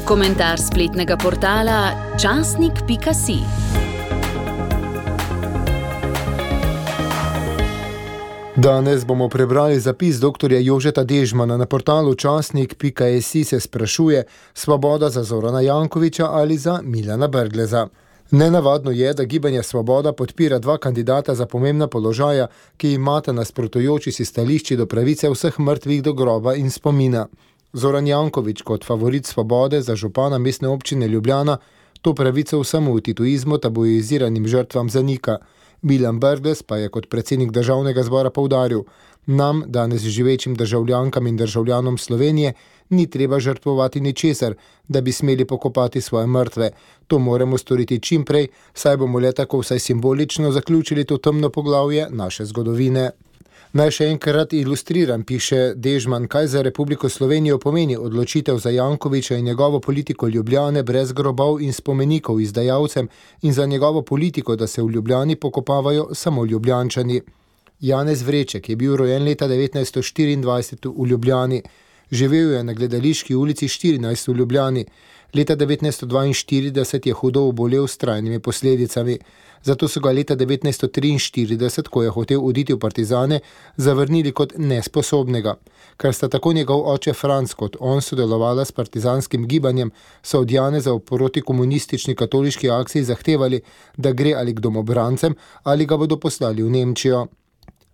Komentar spletnega portala časnik.si. Danes bomo prebrali zapis dr. Jožeta Dežmana. Na portalu časnik.si se sprašuje, Svoboda za Zorana Jankovića ali za Milana Brgleza. Nenavadno je, da Gibanje Svoboda podpira dva kandidata za pomembna položaja, ki imata nasprotujoči si stališči do pravice vseh mrtvih do groba in spomina. Zoran Janković kot favorit Svobode za župana mestne občine Ljubljana to pravico vsemu v tituizmu tabuiziranim žrtvam zanika. Milan Brglez pa je kot predsednik državnega zbora poudaril: nam, danes živečim državljankam in državljanom Slovenije, ni treba žrtvovati ničesar, da bi smeli pokopati svoje mrtve. To moramo storiti čim prej, saj bomo le tako vsaj simbolično zaključili to temno poglavje naše zgodovine. Naj še enkrat ilustriram, piše Dežman, kaj za Republiko Slovenijo pomeni odločitev za Jankovića in njegovo politiko Ljubljane brez grobov in spomenikov izdajalcem in za njegovo politiko, da se v Ljubljani pokopavajo samo Ljubljančani. Janez Vreček je bil rojen leta 1924 v Ljubljani. Živel je na Gledališki ulici 14 v Ljubljani. Leta 1942 je hudo obolel s trajnimi posledicami. Zato so ga leta 1943, ko je hotel oditi v partizane, zavrnili kot nesposobnega. Ker sta tako njegov oče Franc kot on sodelovala s partizanskim gibanjem, so od Janeza v protikomunistični katoliški akciji zahtevali, da gre ali k domobrancem ali ga bodo poslali v Nemčijo.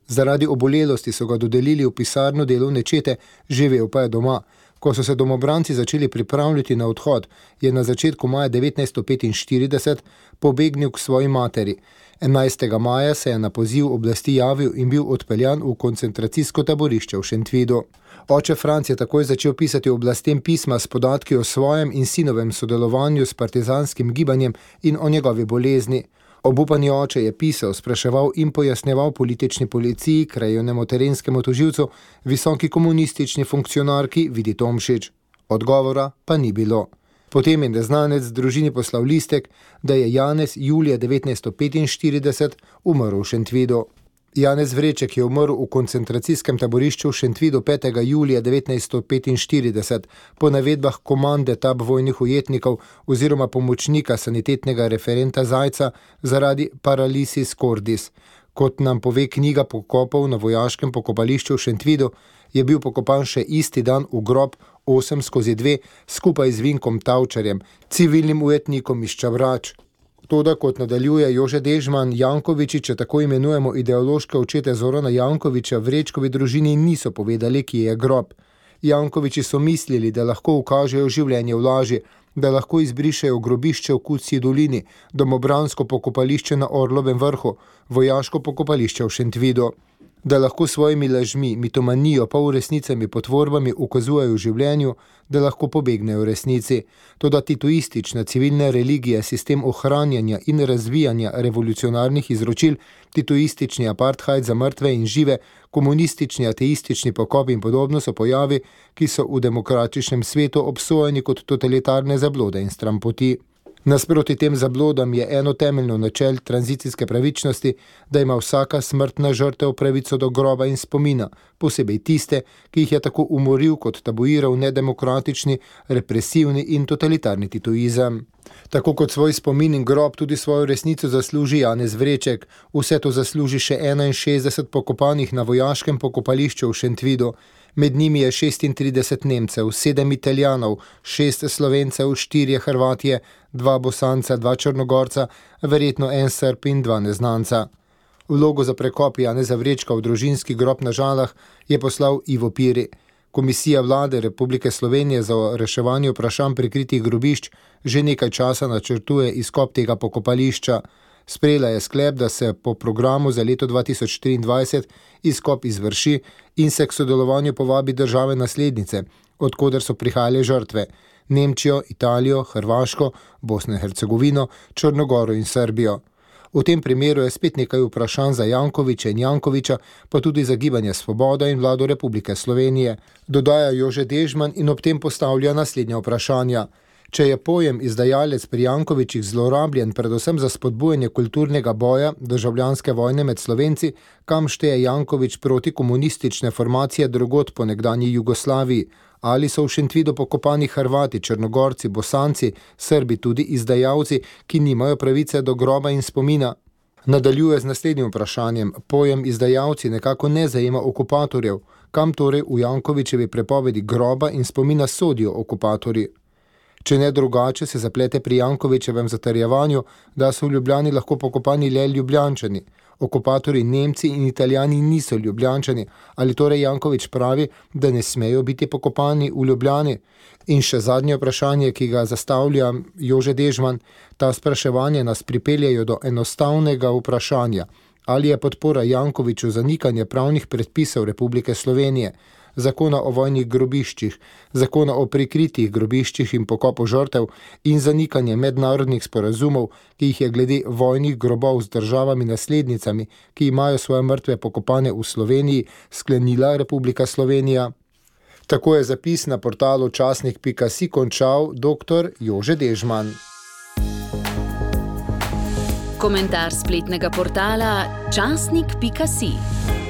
Zaradi obolelosti so ga dodelili v pisarno delovne čete, živel pa je doma. Ko so se domobranci začeli pripravljati na odhod, je na začetku maja 1945 pobegnil k svoji materi. 11. maja se je na poziv oblasti javil in bil odpeljan v koncentracijsko taborišče v Šentvidu. Oče Franc je takoj začel pisati oblastem pisma s podatki o svojem in sinovem sodelovanju s partizanskim gibanjem in o njegovi bolezni. Obupani oče je pisal, spraševal in pojasnjeval politični policiji, krajevnemu terenskemu tožilcu, visoki komunistični funkcionarki Vidi Tomšič. Odgovora pa ni bilo. Potem je neznanec družini poslal listek, da je Janez julija 1945 umrl v Šentvidu. Janez Vreček je umrl v koncentracijskem taborišču v Šentvidu 5. julija 1945 po navedbah komande tab vojnih ujetnikov oziroma pomočnika sanitetnega referenta Zajca zaradi paralisis cordis. Kot nam pove knjiga pokopov na vojaškem pokopališču v Šentvidu, je bil pokopan še isti dan v grob 8/2 skupaj z Vinkom Tavčarjem, civilnim ujetnikom iz Čabrač. Toda, kot nadaljuje Jože Dežman, Jankovići, če tako imenujemo ideološke očete Zorana Jankovića, Vrečkovi družini niso povedali, kje je grob. Jankovići so mislili, da lahko ukažejo življenje v laži, da lahko izbrišejo grobišče v Kucji dolini, domobransko pokopališče na Orlovem vrhu, vojaško pokopališče v Šentvidu. Da lahko svojimi lažmi, mitomanijo, polresnicami, potvorbami ukazujejo življenju, da lahko pobegnejo resnici. Toda tituistična civilna religija, sistem ohranjanja in razvijanja revolucionarnih izročil, tituistični apartheid za mrtve in žive, komunistični ateistični pokop in podobno so pojavi, ki so v demokratičnem svetu obsojeni kot totalitarne zablode in strampoti. Nasproti tem zablodam je eno temeljno načel tranzicijske pravičnosti, da ima vsaka smrtna žrtev pravico do groba in spomina, posebej tiste, ki jih je tako umoril kot tabuiral nedemokratični, represivni in totalitarni tituizem. Tako kot svoj spomin in grob tudi svojo resnico zasluži Janez Vreček, vse to zasluži še 61 pokopanih na vojaškem pokopališču v Šentvidu. Med njimi je 36 Nemcev, 7 Italijanov, 6 Slovencev, 4 Hrvatije, 2 Bosanca, 2 Črnogorca, verjetno 1 Srb in 2 neznanca. Vlogo za prekop Janeza Vrečka v družinski grob na Žalah je poslal Ivo Piri. Komisija vlade Republike Slovenije za reševanje vprašanj prikritih grobišč že nekaj časa načrtuje izkop tega pokopališča. Sprejela je sklep, da se po programu za leto 2023 izkop izvrši in se k sodelovanju povabi države naslednice, od koder so prihajale žrtve: Nemčijo, Italijo, Hrvaško, Bosno in Hercegovino, Črnogoro in Srbijo. V tem primeru je spet nekaj vprašanj za Jankovića in Jankovića, pa tudi za Gibanje Svoboda in vlado Republike Slovenije. Dodaja Jože Dežman in ob tem postavlja naslednja vprašanja. Če je pojem izdajalec pri Jankovićih zlorabljen predvsem za spodbujanje kulturnega boja državljanske vojne med Slovenci, kam šteje Janković protikomunistične formacije drugod po nekdanji Jugoslaviji, ali so v Šentvidu pokopani Hrvati, Črnogorci, Bosanci, Srbi, tudi izdajalci, ki nimajo pravice do groba in spomina. Nadaljuje z naslednjim vprašanjem. Pojem izdajalci nekako ne zajema okupatorjev. Kam torej v Jankovićevi prepovedi groba in spomina sodijo okupatorji? Če ne drugače, se zaplete pri Jankovićevem zatrjevanju, da so v Ljubljani lahko pokopani le Ljubljančani. Okupatorji Nemci in Italijani niso Ljubljančani. Ali torej Janković pravi, da ne smejo biti pokopani v Ljubljani? In še zadnje vprašanje, ki ga zastavlja Jože Dežman. Ta spraševanje nas pripeljejo do enostavnega vprašanja. Ali je podpora Jankoviću zanikanje pravnih predpisov Republike Slovenije, zakona o vojnih grobiščih, zakona o prikritih grobiščih in pokopu žrtev in zanikanje mednarodnih sporazumov, ki jih je glede vojnih grobov z državami naslednicami, ki imajo svoje mrtve pokopane v Sloveniji, sklenila Republika Slovenija? Tako je zapis na portalu časnik.si končal dr. Jože Dežman. Komentar spletnega portala časnik.si.